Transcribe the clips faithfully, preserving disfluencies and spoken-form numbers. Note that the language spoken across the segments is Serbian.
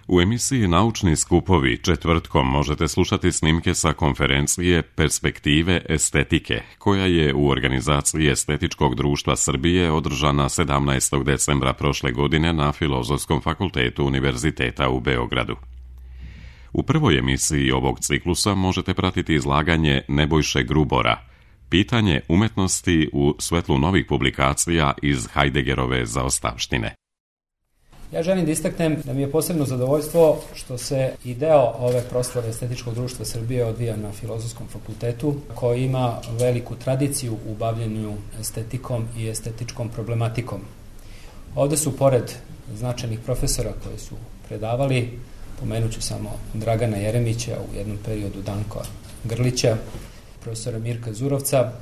U emisiji Naučni skupovi četvrtkom možete slušati snimke sa konferencije Perspektive estetike, koja je u organizaciji Estetičkog društva Srbije održana sedamnaestog decembra prošle godine na Filozofskom fakultetu Univerziteta u Beogradu. U prvoj emisiji ovog ciklusa možete pratiti izlaganje Nebojše Grubora, pitanje umetnosti u svetlu novih publikacija iz Heideggerove zaostavštine. Ja želim da istaknem da mi je posebno zadovoljstvo što se i deo ove proslave Estetičkog društva Srbije odvija na Filozofskom fakultetu, koji ima veliku tradiciju u bavljenju estetikom i estetičkom problematikom. Ovde su, pored značajnih profesora koji su predavali, pomenut ću samo Dragana Jeremića, u jednom periodu Danka Grlića, profesora Mirka Zurovca.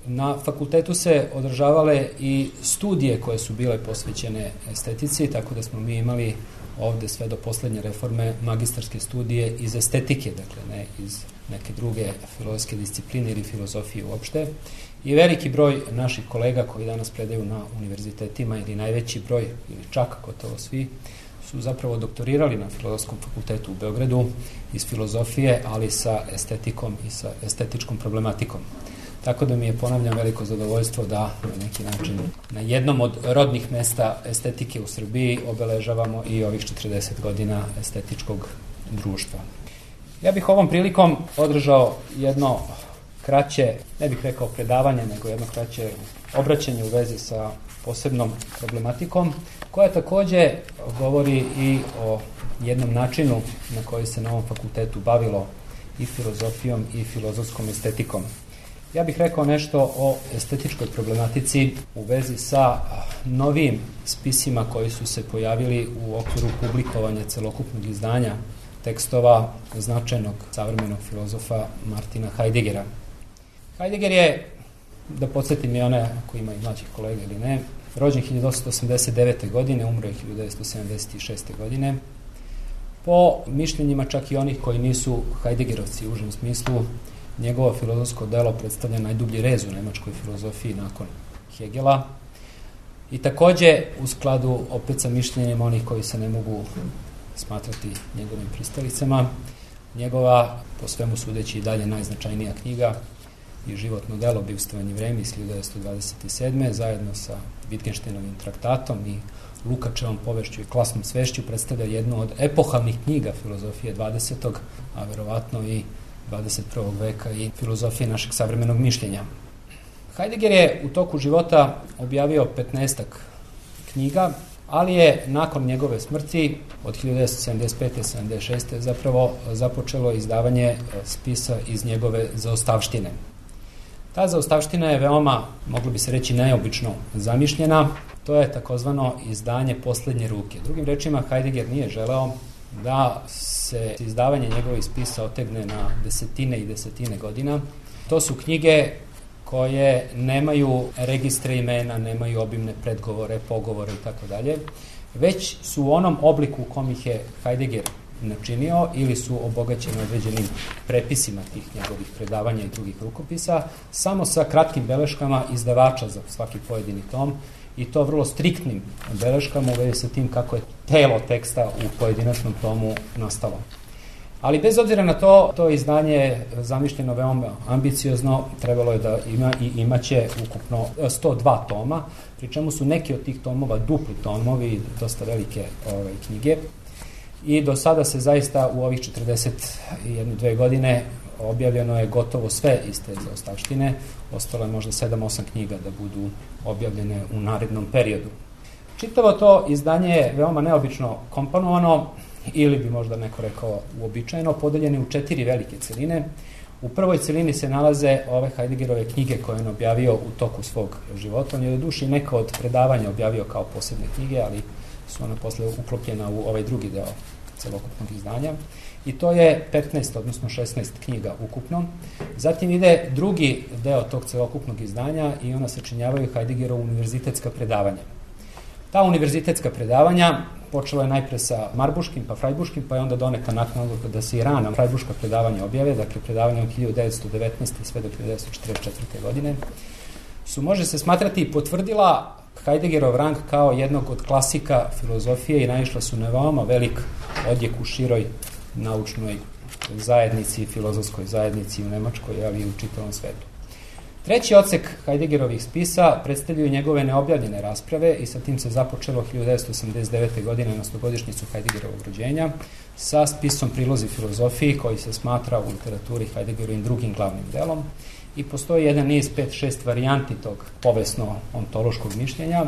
Na fakultetu se održavale i studije koje su bile posvećene estetici, tako da smo mi imali ovde sve do poslednje reforme magistarske studije iz estetike, dakle ne iz neke druge filozofske discipline ili filozofije uopšte. I veliki broj naših kolega koji danas predaju na univerzitetima, ili najveći broj, ili čak gotovo svi, su zapravo doktorirali na Filozofskom fakultetu u Beogradu iz filozofije, ali sa estetikom i sa estetičkom problematikom. Tako da mi je, ponavljam, veliko zadovoljstvo da na neki način na jednom od rodnih mesta estetike u Srbiji obeležavamo i ovih četrdeset godina estetičkog društva. Ja bih ovom prilikom održao jedno kraće, ne bih rekao predavanje, nego jedno kraće obraćanje u vezi sa posebnom problematikom, koja takođe govori i o jednom načinu na koji se na ovom fakultetu bavilo i filozofijom i filozofskom estetikom. Ja bih rekao nešto o estetičkoj problematici u vezi sa novim spisima koji su se pojavili u okviru publikovanja celokupnog izdanja tekstova značajnog savremenog filozofa Martina Heideggera. Heidegger je, da podsjetim i one ako ima i mlađih kolega ili ne, rođen hiljadu osamsto osamdeset devete. godine, umro je hiljadu devetsto sedamdeset šeste. godine. Po mišljenjima čak i onih koji nisu Heideggerovci u užem smislu, njegovo filozofsko delo predstavlja najdublji rez u nemačkoj filozofiji nakon Hegela i takođe u skladu opet sa mišljenjima onih koji se ne mogu smatrati njegovim pristalicama, njegova, po svemu sudeći i dalje najznačajnija knjiga i životno delo Bivstvovanje vreme iz hiljadu devetsto dvadeset sedme. zajedno sa Wittgensteinovim traktatom i Lukačevom povešću i klasnom svešću predstavlja jednu od epohalnih knjiga filozofije dvadesetog. a verovatno i dvadeset prvog veka i filozofije našeg savremenog mišljenja. Heidegger je u toku života objavio petnaestak knjiga, ali je nakon njegove smrti od hiljadu devetsto sedamdeset pete. do sedamdeset šeste. zapravo započelo izdavanje spisa iz njegove zaostavštine. Ta zaostavština je veoma, moglo bi se reći, neobično zamišljena. To je takozvano izdanje poslednje ruke. Drugim rečima, Heidegger nije želeo da se izdavanje njegovih spisa otegne na desetine i desetine godina. To su knjige koje nemaju registre imena, nemaju obimne predgovore, pogovore i tako dalje, već su u onom obliku u kom ih je Heidegger načinio ili su obogaćeni određenim prepisima tih njegovih predavanja i drugih rukopisa, samo sa kratkim beleškama izdavača za svaki pojedini tom, i to vrlo striktnim beleškama u vezi sa tim kako je telo teksta u pojedinačnom tomu nastalo. Ali bez obzira na to, to izdanje je zamišljeno veoma ambiciozno, trebalo je da ima i imaće ukupno sto dva toma, pri čemu su neki od tih tomova dupli tomovi, dosta velike ove, knjige. I do sada se zaista u ovih četrdeset jedne dve godine objavljeno je gotovo sve iz te zaostavštine, ostalo je možda sedam osam knjiga da budu objavljene u narednom periodu. Čitavo to izdanje je veoma neobično komponovano, ili bi možda neko rekao uobičajeno, podeljene u četiri velike celine. U prvoj celini se nalaze ove Heideggerove knjige koje on objavio u toku svog života. On je do duše neka od predavanja objavio kao posebne knjige, ali su ona posle uklopljena u ovaj drugi deo celokupnog izdanja. I to je petnaest, odnosno šesnaest knjiga ukupno. Zatim ide drugi deo tog celokupnog izdanja i ona sačinjavaju Heideggerovu univerzitetska predavanja. Ta univerzitetska predavanja počela je najpre sa Marbuškim, pa Frajbuškim, pa je onda doneta naknadno da se i rana Frajbuška predavanja objave, dakle predavanja od hiljadu devetsto devetnaeste sve do hiljadu devetsto četrdeset četvrte. godine, su, može se smatrati, potvrdila Heideggerov rang kao jednog od klasika filozofije i naišla su na veoma velik odjek u široj naučnoj zajednici, filozofskoj zajednici u Nemačkoj, ali i u čitavom svetu. Treći odsek Heideggerovih spisa predstavljaju njegove neobjavljene rasprave i sa tim se započelo hiljadu devetsto osamdeset devete. godine na stogodišnjicu Heideggerovog rođenja sa spisom Prilozi filozofiji koji se smatra u literaturi Heideggerovim drugim glavnim delom i postoji jedan niz pet šest varijanti tog povesno-ontološkog mišljenja,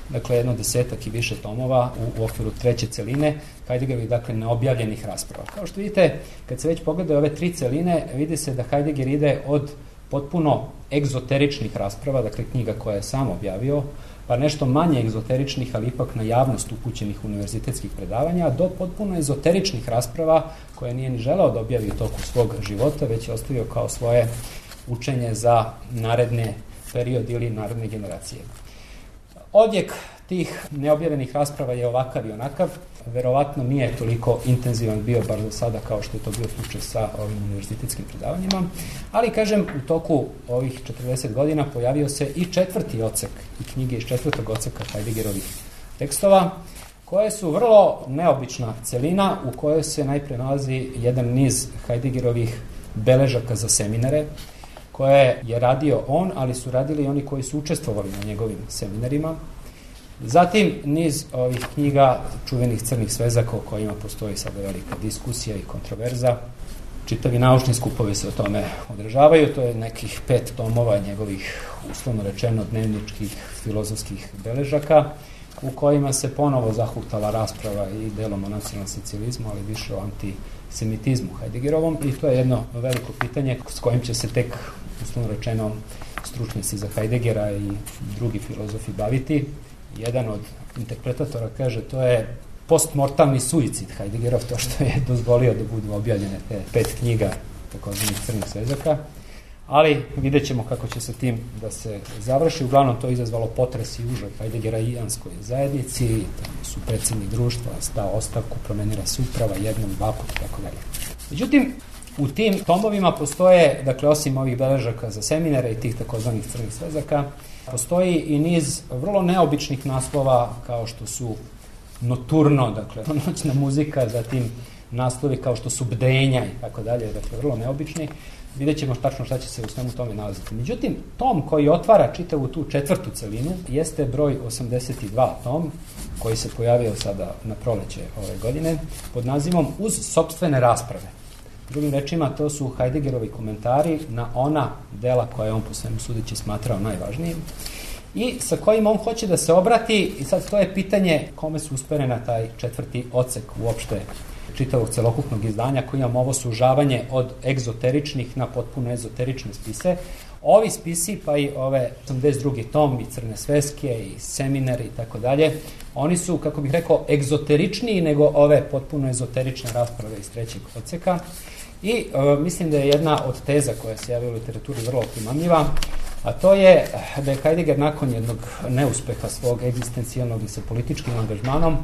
dakle jedno desetak i više tomova u okviru treće celine Heideggerovih, dakle neobjavljenih rasprava. Kao što vidite, kad se već pogledaju ove tri celine, vidi se da Heidegger ide od potpuno egzoteričnih rasprava, dakle knjiga koje je sam objavio, pa nešto manje egzoteričnih, ali ipak na javnost upućenih univerzitetskih predavanja, do potpuno ezoteričnih rasprava koje nije ni želeo da objavi u toku svog života, već je ostavio kao svoje učenje za naredne period ili naredne generacije. Odjek tih neobjavenih rasprava je ovakav i onakav, verovatno nije toliko intenzivan bio bar do sada kao što je to bio slučaj sa ovim univerzitetskim predavanjima, ali kažem u toku ovih četrdeset godina pojavio se i četvrti odsek i knjige iz četvrtog odseka Heideggerovih tekstova, koje su vrlo neobična celina u kojoj se najpre nalazi jedan niz Heideggerovih beležaka za seminare, koje je radio on, ali su radili i oni koji su učestvovali na njegovim seminarima. Zatim niz ovih knjiga čuvenih crnih svezaka o kojima postoji sada velika diskusija i kontroverza. Čitavi naučni skupovi se o tome održavaju. To je nekih pet tomova njegovih, uslovno rečeno, dnevničkih filozofskih beležaka u kojima se ponovo zahuktala rasprava i delom o nacionalnom socijalizmu, ali više o antisemitizmu Heideggerovom, i to je jedno veliko pitanje s kojim će se tek, uslovno rečeno, stručnjaci za Heideggera i drugi filozofi baviti. Jedan od interpretatora kaže to je postmortalni suicid Heideggerov, to što je dozvolio da budu objavljene te pet knjiga takozvanih crnih svezaka, ali vidjet ćemo kako će se tim da se završi. Uglavnom to izazvalo potres i užas Heideggera i Ijanskoj zajednici, tamo su predsjednik društva stao ostavku, promenila se uprava jednom, dva put, tako dalje. Međutim, u tim tomovima postoje, dakle, osim ovih beležaka za seminare i tih takozvanih crnih svezaka, postoji i niz vrlo neobičnih naslova kao što su Noturno, dakle, noćna muzika, zatim naslovi kao što su Bdenja i tako dalje, dakle, vrlo neobični. Vidjet ćemo tačno šta će se u svemu tome nalaziti. Međutim, tom koji otvara čitavu tu četvrtu celinu jeste broj osamdeset dva tom, koji se pojavio sada na proleće ove godine, pod nazivom Uz sopstvene rasprave. Drugim rečima, to su Heideggerovi komentari na ona dela koje je on po svemu sudeći smatrao najvažnijim i sa kojim on hoće da se obrati, i sad to je pitanje kome su usperena taj četvrti odsek uopšte čitavog celokupnog izdanja, koji imamo ovo sužavanje od egzoteričnih na potpuno ezoterične spise. Ovi spisi, pa i ove osamdeset drugi tom i crne sveske i seminari i tako dalje, oni su, kako bih rekao, egzoteričniji nego ove potpuno ezoterične rasprave iz trećeg odseka. I e, mislim da je jedna od teza koja se javila u literaturi vrlo primamljiva, a to je da je Heidegger nakon jednog neuspeha svog egzistencijalnog i sa političkim angažmanom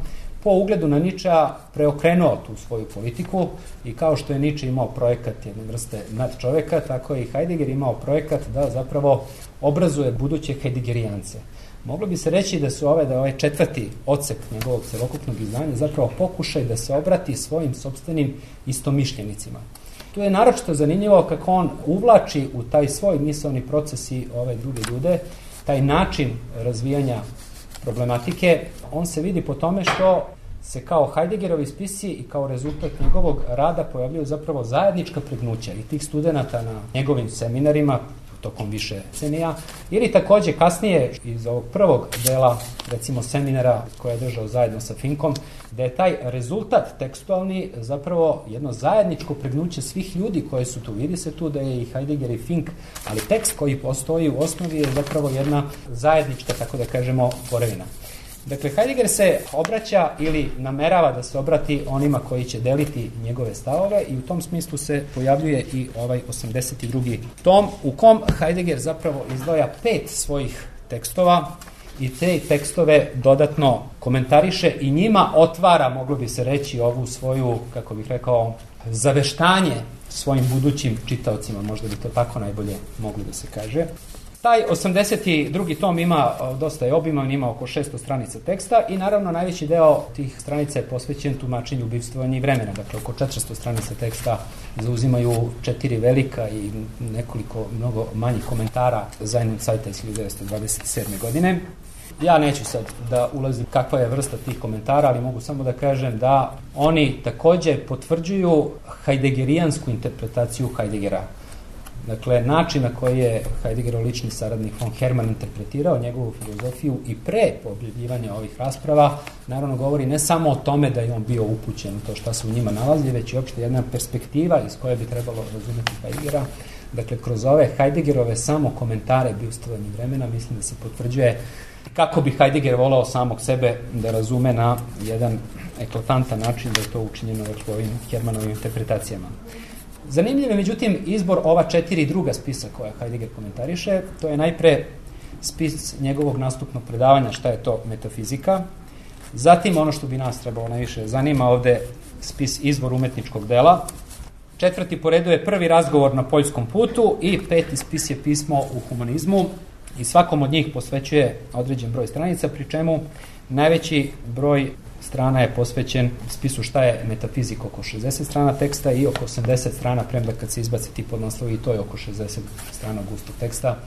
po ugledu na Ničea preokrenuo tu svoju politiku i kao što je Niče imao projekat jedne vrste nadčoveka, tako je i Heidegger imao projekat da zapravo obrazuje buduće Heideggerijance. Moglo bi se reći da su ove, da ovaj četvrti odsek njegovog celokupnog izdanja zapravo pokušaj da se obrati svojim sopstvenim istomišljenicima. Tu je naročito zanimljivo kako on uvlači u taj svoj misaoni proces i ove druge ljude, taj način razvijanja problematike. On se vidi po tome što se kao Heideggerovi spisi i kao rezultat njegovog rada pojavljaju zapravo zajednička pregnuća i tih studenata na njegovim seminarima tokom više decenija, ili takođe kasnije iz ovog prvog dela, recimo seminara koje je držao zajedno sa Finkom, da je taj rezultat tekstualni zapravo jedno zajedničko pregnuće svih ljudi koji su tu. Vidi se tu da je i Heidegger i Fink, ali tekst koji postoji u osnovi je zapravo jedna zajednička, tako da kažemo, tvorevina. Dakle, Heidegger se obraća ili namerava da se obrati onima koji će deliti njegove stavove i u tom smislu se pojavljuje i ovaj osamdeset drugi tom u kom Heidegger zapravo izdvaja pet svojih tekstova i te tekstove dodatno komentariše i njima otvara, moglo bi se reći, ovu svoju, kako bih rekao, zaveštanje svojim budućim čitaocima, možda bi to tako najbolje moglo da se kaže. Taj osamdeset drugi tom ima dosta je obiman, ima oko šesto stranica teksta i naravno najveći deo tih stranica je posvećen tumačenju bivstvovanja i vremena. Dakle, oko četiristo stranica teksta zauzimaju četiri velika i nekoliko mnogo manjih komentara Zajnun Cajta iz hiljadu devetsto dvadeset sedme. godine. Ja neću sad da ulazim kakva je vrsta tih komentara, ali mogu samo da kažem da oni takođe potvrđuju hajdegerijansku interpretaciju Heideggera. Dakle, način na koji je Heideggerov lični saradnik von Hermann interpretirao njegovu filozofiju i pre objavljivanja ovih rasprava, naravno govori ne samo o tome da je on bio upućen u to šta se u njima nalazi, već i uopšte jedna perspektiva iz koje bi trebalo razumeti Heideggera. Dakle, kroz ove Heideggerove samo komentare bivstvovanja vremena, mislim da se potvrđuje kako bi Heidegger volao samog sebe da razume na jedan eklatantan način da je to učinjeno u ovim Hermannovim interpretacijama. Zanimljiv je, međutim, izbor ova četiri druga spisa koja Heidegger komentariše. To je najpre spis njegovog nastupnog predavanja šta je to metafizika. Zatim, ono što bi nas trebalo najviše zanima ovde, spis izvor umetničkog dela. Četvrti po redu je prvi razgovor na poljskom putu i peti spis je pismo u humanizmu i svakom od njih posvećuje određen broj stranica, pri čemu najveći broj strana je posvećen spisu šta je metafizika, oko šezdeset strana teksta i oko osamdeset strana, premda kad se izbaci ti podnaslovi i to je oko šezdeset strana gustog teksta,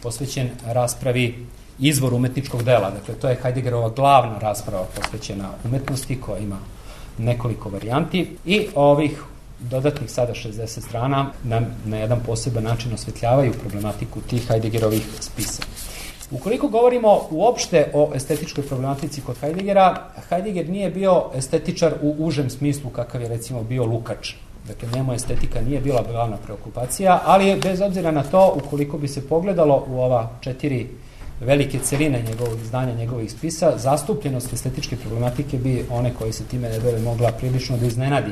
posvećen raspravi izvor umetničkog dela. Dakle, to je Heideggerova glavna rasprava posvećena umetnosti koja ima nekoliko varijanti i ovih dodatnih sada šezdeset strana nam na jedan poseban način osvetljavaju problematiku tih Heideggerovih spisa. Ukoliko govorimo uopšte o estetičkoj problematici kod Heideggera, Heidegger nije bio estetičar u užem smislu kakav je recimo bio Lukács. Dakle, njemu estetika nije bila glavna preokupacija, ali bez obzira na to, ukoliko bi se pogledalo u ova četiri velike celine njegovog izdanja, njegovih spisa, zastupljenost estetičke problematike bi one koji se time ne bile mogla prilično da iznenadi.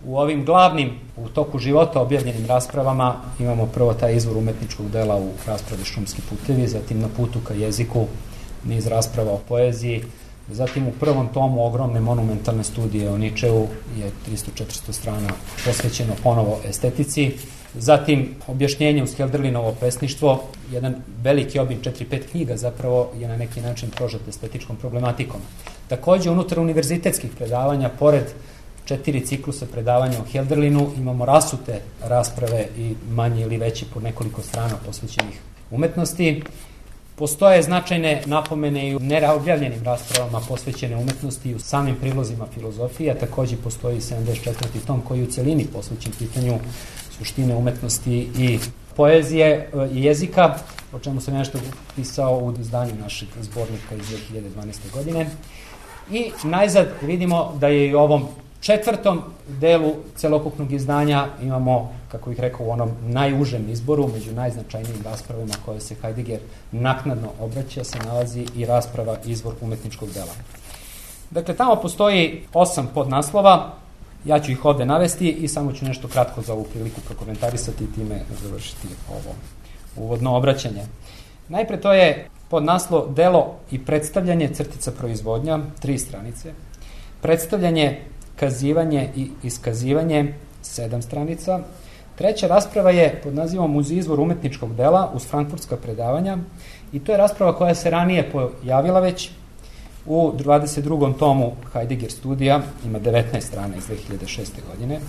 U ovim glavnim, u toku života objavljenim raspravama imamo prvo taj izvor umetničkog dela u raspravi Šumski putevi, zatim na putu ka jeziku, niz rasprava o poeziji, zatim u prvom tomu ogromne monumentalne studije o Ničeu je tristo do četiristo strana posvećeno ponovo estetici, zatim objašnjenje uz Hölderlinovo pesništvo, jedan veliki obim četiri pet knjiga zapravo je na neki način prožet estetičkom problematikom. Takođe, unutar univerzitetskih predavanja, pored četiri ciklusa predavanja o Hölderlinu, imamo rasute rasprave i manje ili veće po nekoliko strana posvećenih umetnosti. Postoje značajne napomene i u neobjavljenim raspravama posvećene umetnosti i u samim prilozima filozofije, a takođe postoji sedamdeset četvrti tom koji je u celini posvećen pitanju suštine umetnosti i poezije i jezika, o čemu sam nešto pisao u izdanju našeg zbornika iz dve hiljade dvanaeste. godine. I najzad vidimo da je i u ovom četvrtom delu celokupnog izdanja imamo, kako bih rekao, u onom najužem izboru, među najznačajnijim raspravama koje se Heidegger naknadno obraća, se nalazi i rasprava izvor umetničkog dela. Dakle, tamo postoji osam podnaslova, ja ću ih ovde navesti i samo ću nešto kratko za ovu priliku prokomentarisati i time završiti ovo uvodno obraćanje. Najpre to je podnaslov delo i predstavljanje crtica proizvodnja, tri stranice, predstavljanje, kazivanje i iskazivanje, sedam stranica. Treća rasprava je pod nazivom Uz izvor umetničkog dela uz frankfurtska predavanja i to je rasprava koja se ranije pojavila već u dvadeset drugom tomu Heidegger studija, ima devetnaest strana iz dve hiljade šeste. godine.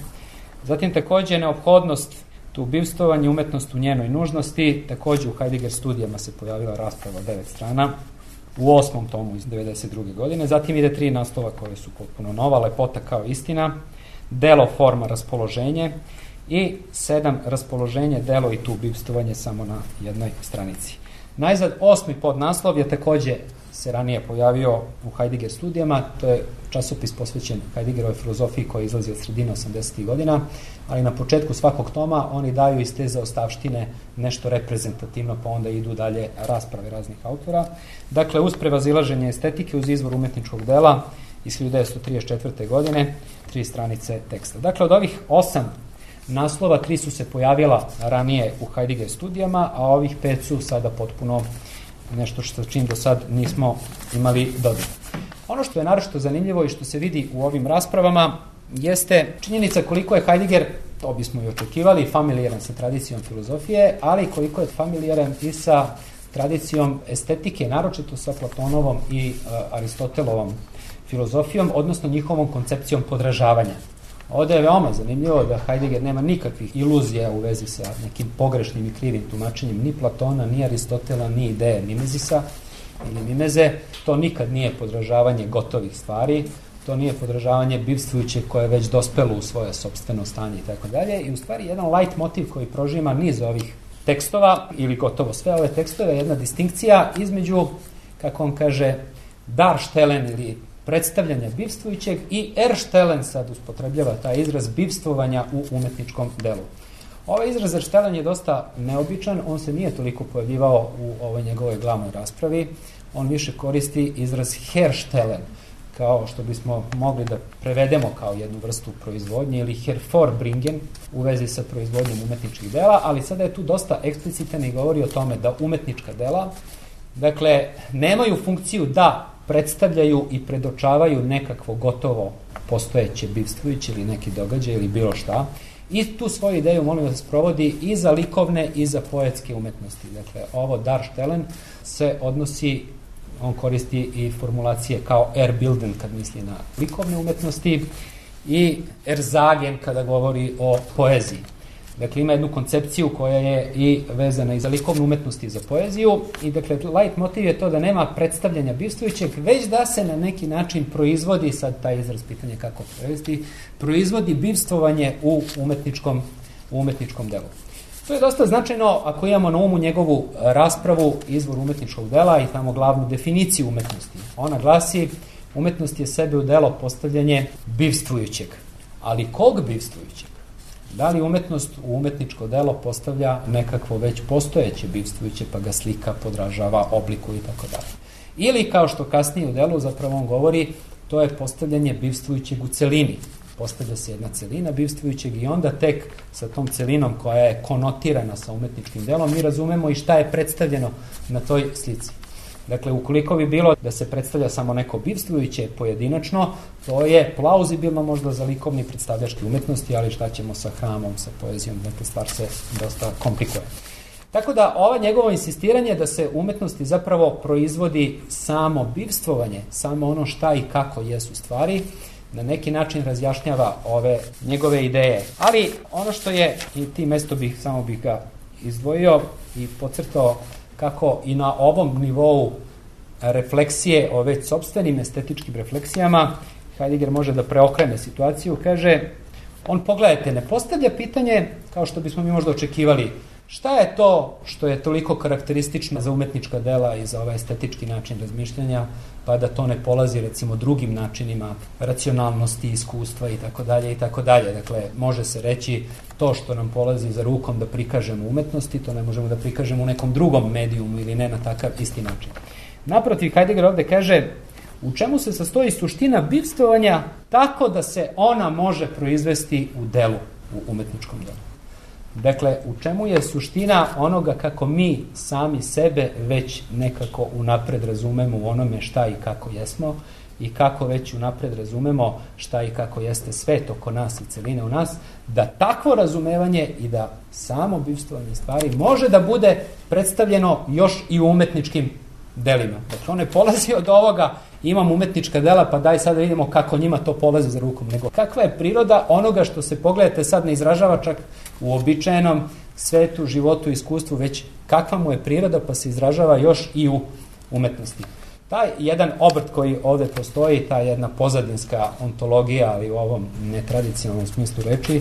Zatim takođe neophodnost tu bivstvovanje, umetnost u njenoj nužnosti, takođe u Heidegger studijama se pojavila rasprava devet strana, u osmom tomu iz devedeset druge. godine. Zatim ide tri naslova koje su potpuno nova, lepota kao istina, delo, forma, raspoloženje i sedam raspoloženje, delo i tu bivstvovanje samo na jednoj stranici. Najzad osmi podnaslov je takođe se ranije pojavio u Heidegger studijama, to je časopis posvećen Heideggerovoj filozofiji koji izlazi od sredine osamdesetih. godina, ali na početku svakog toma oni daju iz te zaostavštine nešto reprezentativno, pa onda idu dalje rasprave raznih autora. Dakle, uz prevazilaženje estetike, uz izvor umetničkog dela iz hiljadu devetsto trideset četvrte. godine, tri stranice teksta. Dakle, od ovih osam naslova, tri su se pojavila ranije u Heidegger studijama, a ovih pet su sada potpuno nešto što čim do sad nismo imali dodir. Ono što je naročito zanimljivo i što se vidi u ovim raspravama jeste činjenica koliko je Heidegger to bismo i očekivali, familijaran sa tradicijom filozofije, ali koliko je familijaran i sa tradicijom estetike, naročito sa Platonovom i uh, Aristotelovom filozofijom, odnosno njihovom koncepcijom podražavanja. Ovde je veoma zanimljivo da Heidegger nema nikakvih iluzija u vezi sa nekim pogrešnim i krivim tumačenjem ni Platona, ni Aristotela, ni ideje mimezisa ili mimeze. To nikad nije podražavanje gotovih stvari, to nije podražavanje bivstvujuće koje je već dospelo u svoje sopstveno stanje i tako dalje. I u stvari jedan light motiv koji prožima niz ovih tekstova, ili gotovo sve ove tekstove, jedna distinkcija između, kako on kaže, darstellen ili predstavljanja bivstvujućeg i erstellen, sad uspotrebljava taj izraz bivstvovanja u umetničkom delu. Ovaj izraz erstellen je dosta neobičan, on se nije toliko pojavljivao u ovoj njegovoj glavnoj raspravi, on više koristi izraz herstellen, kao što bismo mogli da prevedemo kao jednu vrstu proizvodnje, ili hervorbringen u vezi sa proizvodnjom umetničkih dela, ali sada je tu dosta eksplicitan i govori o tome da umetnička dela, dakle, nemaju funkciju da predstavljaju i predočavaju nekakvo gotovo postojeće bivstvujuće ili neki događaj ili bilo šta. I tu svoju ideju, molim vas, provodi i za likovne i za poetske umetnosti. Dakle, ovo darstellen se odnosi, on koristi i formulacije kao erbilden kad misli na likovne umetnosti i erzagen kada govori o poeziji. Dakle, ima jednu koncepciju koja je i vezana i za likovnu umetnost i za poeziju i dakle, light motiv je to da nema predstavljanja bivstvujućeg, već da se na neki način proizvodi, sad taj izraz pitanje kako prevesti, proizvodi bivstvovanje u umetničkom, u umetničkom delu. To je dosta značajno ako imamo na umu njegovu raspravu izvor umetničkog dela i tamo glavnu definiciju umetnosti. Ona glasi, umetnost je sebe u delo postavljanje bivstvujućeg. Ali kog bivstvujućeg? Da li umetnost u umetničko delo postavlja nekakvo već postojeće bivstvujuće, pa ga slika, podražava, obliku i tako dalje. Ili, kao što kasnije u delu zapravo on govori, to je postavljanje bivstvujućeg u celini. Postavlja se jedna celina bivstvujućeg i onda tek sa tom celinom koja je konotirana sa umetničkim delom mi razumemo i šta je predstavljeno na toj slici. Dakle, ukoliko bi bilo da se predstavlja samo neko bivstvujuće pojedinačno, to je plauzibilno možda za likovni predstavljački umetnosti, ali šta ćemo sa hramom, sa poezijom, dakle stvar se dosta komplikuje. Tako da ova njegovo insistiranje da se umetnosti zapravo proizvodi samo bivstvovanje, samo ono šta i kako jesu stvari, na neki način razjašnjava ove njegove ideje. Ali ono što je, i ti mesto bih, samo bih ga izdvojio i podcrtao kako i na ovom nivou refleksije o već sopstvenim estetičkim refleksijama Heidegger može da preokrene situaciju. Kaže, on, pogledajte, ne postavlja pitanje kao što bismo mi možda očekivali šta je to što je toliko karakteristično za umetnička dela i za ovaj estetički način razmišljanja, pa da to ne polazi recimo drugim načinima racionalnosti, iskustva i tako dalje i tako dalje. Dakle, može se reći to što nam polazi za rukom da prikažemo umetnosti, to ne možemo da prikažemo u nekom drugom medijumu ili ne na takav isti način. Naprotiv, Heidegger ovde kaže u čemu se sastoji suština bivstvovanja tako da se ona može proizvesti u delu, u umetničkom delu. Dakle, u čemu je suština onoga kako mi sami sebe već nekako unapred razumemo u onome šta i kako jesmo i kako već unapred razumemo šta i kako jeste svet oko nas i celine u nas, da takvo razumevanje i da samo bivstvovanje stvari može da bude predstavljeno još i u umetničkim delima. Dakle, on ne polazi od ovoga, imam umetnička dela, pa daj sad da vidimo kako njima to polazi za rukom, nego kakva je priroda onoga što se, pogledajte, sad ne izražava čak u običajnom svetu, životu, iskustvu, već kakva mu je priroda, pa se izražava još i u umetnosti. Taj jedan obrt koji ovde postoji, ta jedna pozadinska ontologija, ali u ovom netradicionalnom smislu reči,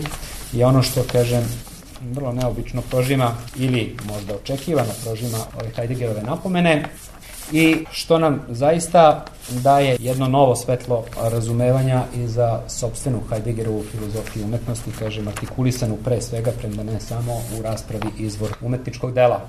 je ono što, kažem, vrlo neobično prožima ili možda očekivano prožima ove Heideggerove napomene i što nam zaista daje jedno novo svetlo razumevanja i za sopstvenu Heideggerovu filozofiju umetnosti, kažem, artikulisanu pre svega, premda ne samo u raspravi izvor umetničkog dela.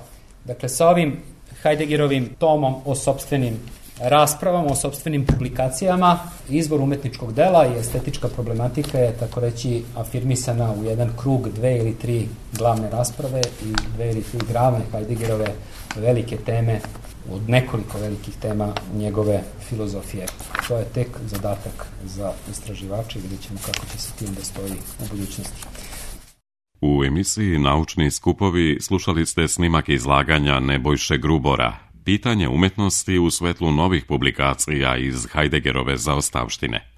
Dakle, sa ovim Heideggerovim tomom o sopstvenim raspravama, o sopstvenim publikacijama, izvor umetničkog dela i estetička problematika je, tako reći, afirmisana u jedan krug, dve ili tri glavne rasprave i dve ili tri glavne Heideggerove velike teme, od nekoliko velikih tema njegove filozofije. To je tek zadatak za istraživače i vidjet ćemo kako će se tim da stoji u budućnosti. U emisiji Naučni skupovi slušali ste snimak izlaganja Nebojše Grubora, pitanje umjetnosti u svetlu novih publikacija iz Heideggerove zaostavštine.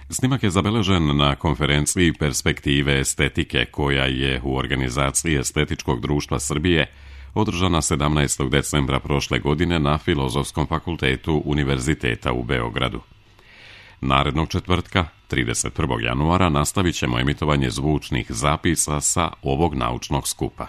Snimak je zabeležen na konferenciji Perspektive estetike koja je u organizaciji Estetičkog društva Srbije održana sedamnaestog decembra prošle godine na Filozofskom fakultetu Univerziteta u Beogradu. Narednog četvrtka, trideset prvog januara, nastavit ćemo emitovanje zvučnih zapisa sa ovog naučnog skupa.